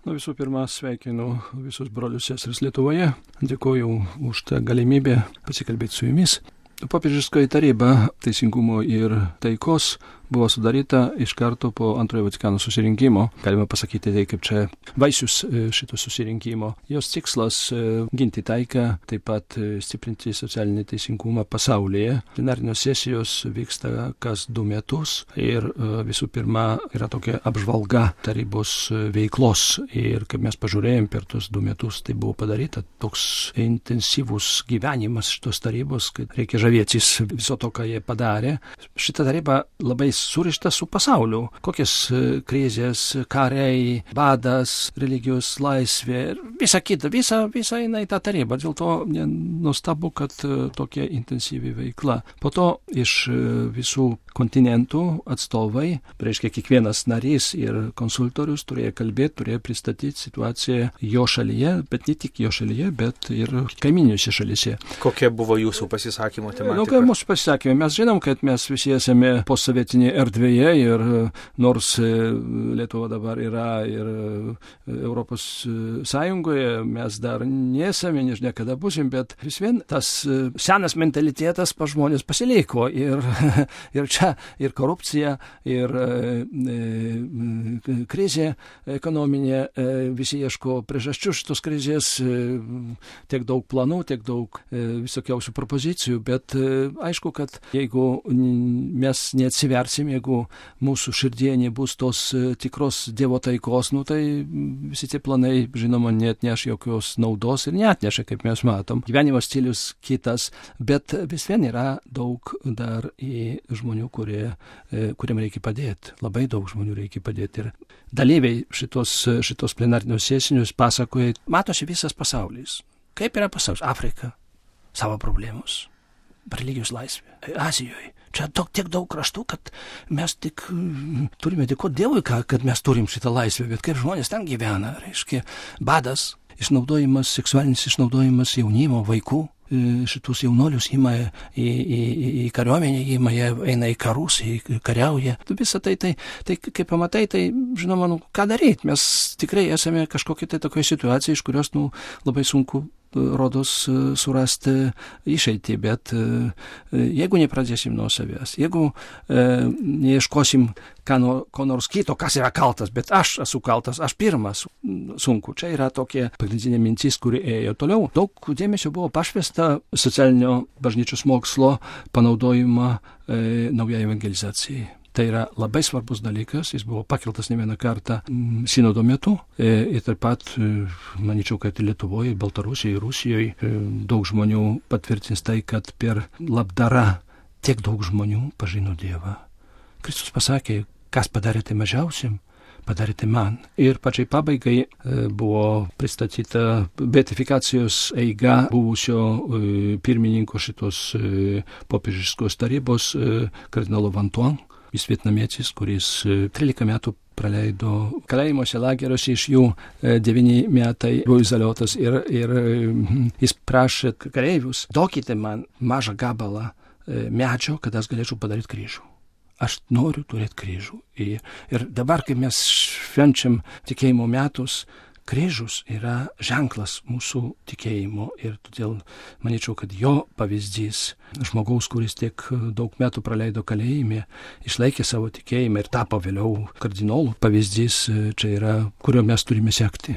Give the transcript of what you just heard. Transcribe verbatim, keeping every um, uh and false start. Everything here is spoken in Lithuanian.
Nu, visų pirma, sveikinu visus brolius seseris Lietuvoje. Dėkuoju už tą galimybę pasikalbėti su jumis. Popiežiškoji taryba teisingumo ir taikos buvo sudaryta iš karto po antrojo Vatikano susirinkimo. Galima pasakyti tai, kaip čia vaisius šito susirinkimo. Jos tikslas ginti taiką, taip pat stiprinti socialinį teisingumą pasaulyje. Plenarinės sesijos vyksta kas du metus ir visų pirma yra tokia apžvalga tarybos veiklos. Ir kaip mes pažiūrėjom per tus du metus, tai buvo padaryta toks intensyvus gyvenimas šitos tarybos, kad reikia žavėtis viso to, ką jie padarė. Šita taryba labai surišta su pasauliu. Kokias krizės, kariai, badas, religijos laisvė ir visa kita, visa, visa eina į tą tarybą. Dėl to nuostabu, kad tokia intensyvi veikla. Po to iš visų kontinentų atstovai, reiškia kiekvienas narys ir konsultorius turėjo kalbėti, turėjo pristatyti situaciją jo šalyje, bet ne tik jo šalyje, bet ir kaiminiuose šalyse. Kokia buvo jūsų pasisakymo tematika? Nu, kai mūsų pasisakymai, mes žinom, kad mes visi esame posovietinėje erdvėje ir nors Lietuva dabar yra ir Europos Sąjungoje, mes dar nesame, nežinia kada būsim, bet vis vien tas senas mentalitetas pas žmonės pasiliko ir, ir čia ir korupcija, ir e, krizė ekonominė, e, visi ieško priežasčių šitos krizės, e, tiek daug planų, tiek daug e, visokiausių propozicijų, bet e, aišku, kad jeigu mes neatsiversim, jeigu mūsų širdie nebus tos e, tikros Dievo taikos, nu, tai visi tie planai, žinoma, neatneš jokios naudos ir neatneša, kaip mes matom. Gyvenimo stilius kitas, bet vis vien yra daug dar į žmonių, kurie, kuriam reikia padėti. Labai daug žmonių reikia padėti. Ir dalyviai šitos, šitos plenarinios sesijos pasakoja, matosi visas pasaulis. Kaip yra pasaulis? Afrika, savo problemos, religijos laisvė, Azijoje. Čia daug, tiek daug kraštų, kad mes tik turime dėkoti Dievui, kad mes turim šitą laisvę, bet kaip žmonės ten gyvena, reiškia, badas, išnaudojimas, seksualinis išnaudojimas jaunimo, vaikų. Šitus jaunolius ima į, į, į kariuomenę, ima, eina į karus, į kariauja. Visą tai, tai, tai, kaip pamatai, tai, žinoma, nu, ką daryti? Mes tikrai esame kažkokia tai tokia situacija, iš kurios, nu, labai sunku rodos surasti išeitį, bet jeigu nepradėsim nuo savęs, jeigu e, neieškosim ką no, ko nors kito, kas yra kaltas, bet aš esu kaltas, aš pirmas sunku. Čia yra tokia pagrindinė mintis, kuri ėjo toliau. Daug dėmesio buvo pašvesta socialinio bažnyčios mokslo panaudojimą e, naujai evangelizacijai. Tai yra labai svarbus dalykas, jis buvo pakeltas ne vieną kartą sinodo metu ir taip pat, manyčiau, kad Lietuvoje, Baltarusijoje, Rusijoje daug žmonių patvirtins tai, kad per labdarą tiek daug žmonių pažino Dievą. Kristus pasakė, kas padarėte mažiausiam, padarėte man. Ir pačiai pabaigai buvo pristatyta beatifikacijos eiga buvusio pirmininko šitos popiežiškos tarybos kardinolo Vantuan. Jis vietnamietis, kuris trylika metų praleido kalėjimuose, lageriuose, iš jų devyni metai buvo izoliuotas ir, ir jis prašė kareivius, duokite man mažą gabalą medžio, kad aš galėčiau padaryti kryžių. Aš noriu turėti kryžių. Ir, ir dabar, kai mes švenčiam tikėjimo metus, kryžius yra ženklas mūsų tikėjimo ir todėl manyčiau, kad jo pavyzdys žmogaus, kuris tiek daug metų praleido kalėjime, išlaikė savo tikėjimą ir tapo vėliau kardinolų pavyzdys, čia yra, kurio mes turime sekti.